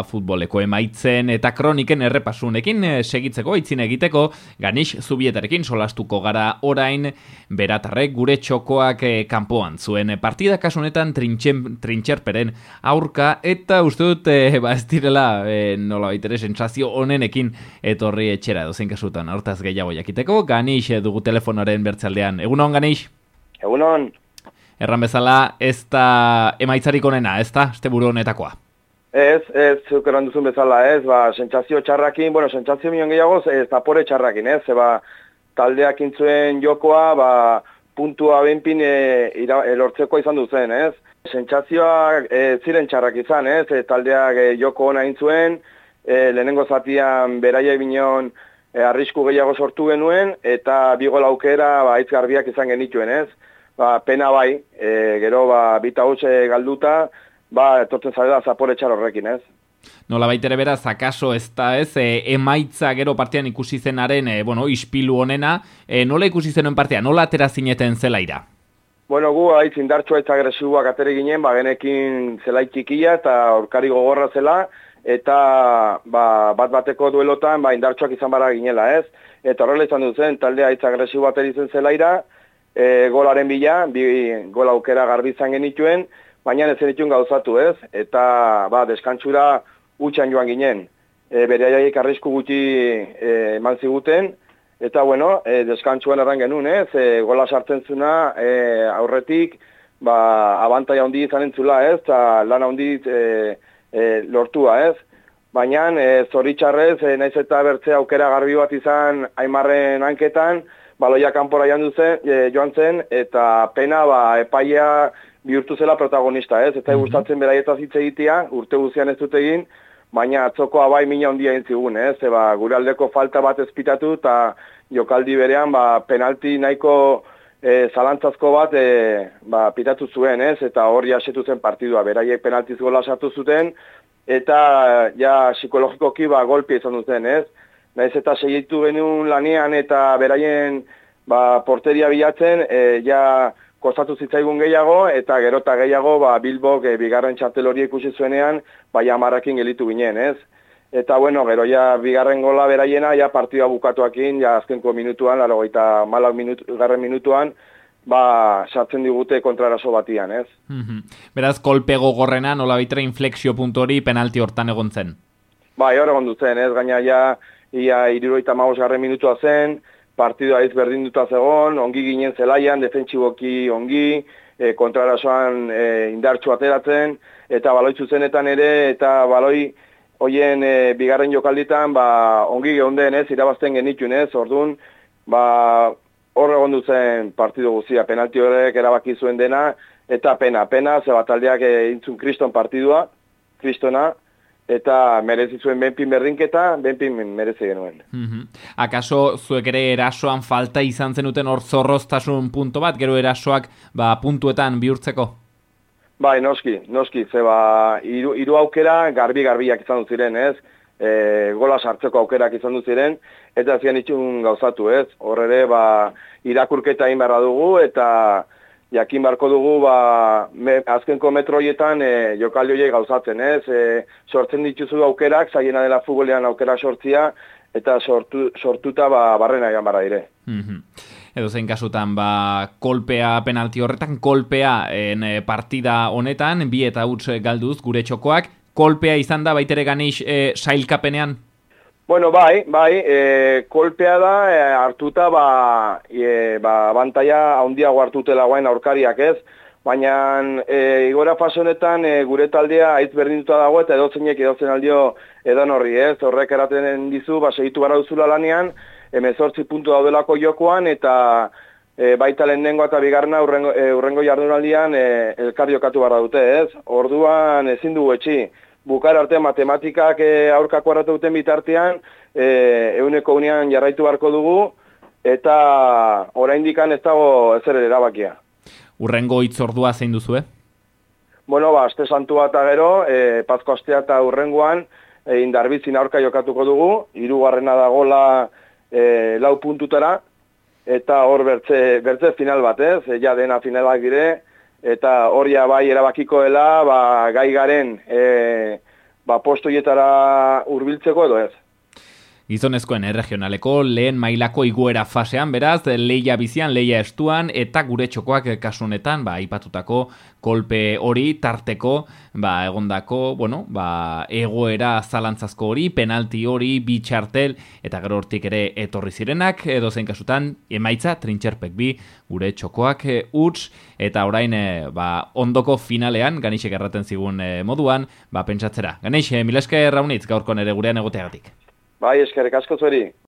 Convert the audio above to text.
futboleko emaitzen eta kroniken errepasunekin segitzeko, aitzin egiteko, Ganix Zubietarekin solastuko gara orain, Beratarrek gure txokoak kanpoan zuen partida kasunetan trintxerperen aurka, eta uste dut ez direla nola baitere sentsazio onenekin etorri etxera dozen kasutan, hortaz gehiago jakiteko. Ganix dugu telefonoaren bertzaldean. Egunon, Ganix? Egunon. Erran bezala, ez da emaitzarik onena, ez da, asteburu honetakoa? Ez, zuk eran duzun bezala, ez, sentsazio txarrakin, sentsazio minon gehiago, zapore txarrakin, ez, taldeak intzuen jokoa, puntua benpin lortzeko izan duzen, ez. Sentsazioak ziren txarrak izan, ez, taldeak joko ona intzuen, lehenengo zatian beraia binon arrisku gehiago sortu genuen, eta bigol aukera aitz garbiak izan genituen, ez. Pena bai, gero bita hutxe galduta, etortzen zarela zapore txar horrekin, ez? Nola baitere beraz, akaso ez da ez, emaitza gero partean ikusi zenaren, ispilu honena, nola ikusi zenuen partea, nola atera zineten zelaira? Gu haitz indartsua eta agresiboak atere ginen, genekin zelai txikia eta aurkari gogorra zela, eta bat-bateko duelotan indartsuak izan bara ginela, ez? Eta horrela izan duzen, talde haitz agresibo ateri zen zelaira, golaren bila, gol aukera garbi izan genituen, baina ez zenituen gauzatu, ez? Eta deskantsura utxan joan ginen. Bereaiek arrisku gutxi eman ziguten, eta deskantsuan erran genuen, ez? Gola sartzen zuna aurretik, abantaia handi izan entzula, ez? Eta lan handi lortua, ez? Baina zoritxarrez, naiz eta bertze aukera garbi bat izan Aimarren hanketan, baloia kanpora joan zen, eta pena epaia bihurtu zela protagonista, ez? Eta gustatzen beraietaz hitz egitea, urte guzian ez dut egin, baina atzokoa mina handia egin zigun, ez? Gure aldeko falta bat ezpitatu, eta jokaldi berean penalti nahiko zalantzazko bat pitatu zuen, ez? Eta hori asetu zen partidua, beraiek penaltiz gola sartu zuten, eta psikologikoki golpea izan duten, ez? Naiz eta segitu genuen lanean eta beraien porteria bilatzen, kostatu zitzaigun gehiago, eta gerota gehiago Bilbok bigarren txartel hori ikusi zuenean, Amarrakin gelitu ginen, ez? Eta gero bigarren gola beraiena, partida bukatuakin, azkenko minutuan, 84 minutuan, sartzen digute kontraraso batian, ez? Beraz, kolpe gogorrena, nola baitere inflexio puntu hori penalti hortan egon zen? Hor egon dutzen, ez? Gaina ia 75 minutua zen, partidua ez berdinduta zegoen, ongi ginen zelaian, defentsiboki ongi, kontrarasoan indartsu ateratzen, eta baloi zuzenetan ere, eta baloi hoien bigarren jokalditan ongi geunden, ez, irabazten genituen, ez, orduan, hor egon duzen partidu guztia, penalti horrek erabaki zuen dena, eta pena, ze taldeak intzun kriston partidua, kristona, eta merezi zuen benpin berdinketa, benpin merezi genuen. Akaso zuek ere erasoan falta izan zenuten hor zorroztasun punto bat, gero erasoak puntuetan bihurtzeko? Noski, ze hiru aukera garbiak izan dut ziren, ez? Gola sartzeko aukerak izan dut ziren, eta zian itxun gauzatu, ez? Hor ere, irakurketa egin beharra dugu, eta jakin barko dugu, azkenko metroietan jokaldi horiek gauzatzen, ez? Sortzen dituzu aukerak, zaiena dela futbolean aukera sortzia, eta sortuta barrena egan barra dire. Edo zein kasutan, kolpea penalti horretan, kolpea partida honetan, 2 eta huts galduz gure txokoak, kolpea izan da baitere Ganix sailkapenean? Kolpea da, hartuta, abantaia handiago hartutela guain aurkariak, ez? Baina, igora fase honetan, gure taldea aitz berdinduta dago, eta edozen aldio edan horri, ez? Horrek eraten dizu, segitu gara duzula lanean, 18 puntu daudelako jokoan, eta baita lehenengo eta bigarrena urrengo jardunaldian elkar jokatu barra dute, ez? Orduan ezin dugu etxi. Bukar artean matematikak aurkako arratu duten bitartean, euneko unean jarraitu barko dugu, eta oraindikan ez dago ezer erabakia. Urrengo hitzordua zein duzu, aste santua eta gero, Pasko astea eta urrengoan, Indarbizin aurka jokatuko dugu, 3. da gola 4 puntutara, eta hor bertze final bat, ez? Dena finalak dire, eta hori bai erabakiko dela, gai garen postoietara hurbiltzeko edo ez. Gizonezkoen regionaleko lehen mailako iguera fasean, beraz, leia bizian, leia estuan, eta gure txokoak kasunetan, aipatutako kolpe hori, tarteko, egondako, egoera zalantzazko hori, penalti hori, bitxartel, eta gero hortik ere etorri zirenak, edo zein kasutan, emaitza, trintxerpek bi, gure txokoak huts, eta orain, ondoko finalean, Ganixek erraten zigun moduan, pentsatzera. Ganix, mila esker Raunitz, gaurko nere gurean egoteagatik. Bai, eskerrik asko zueri.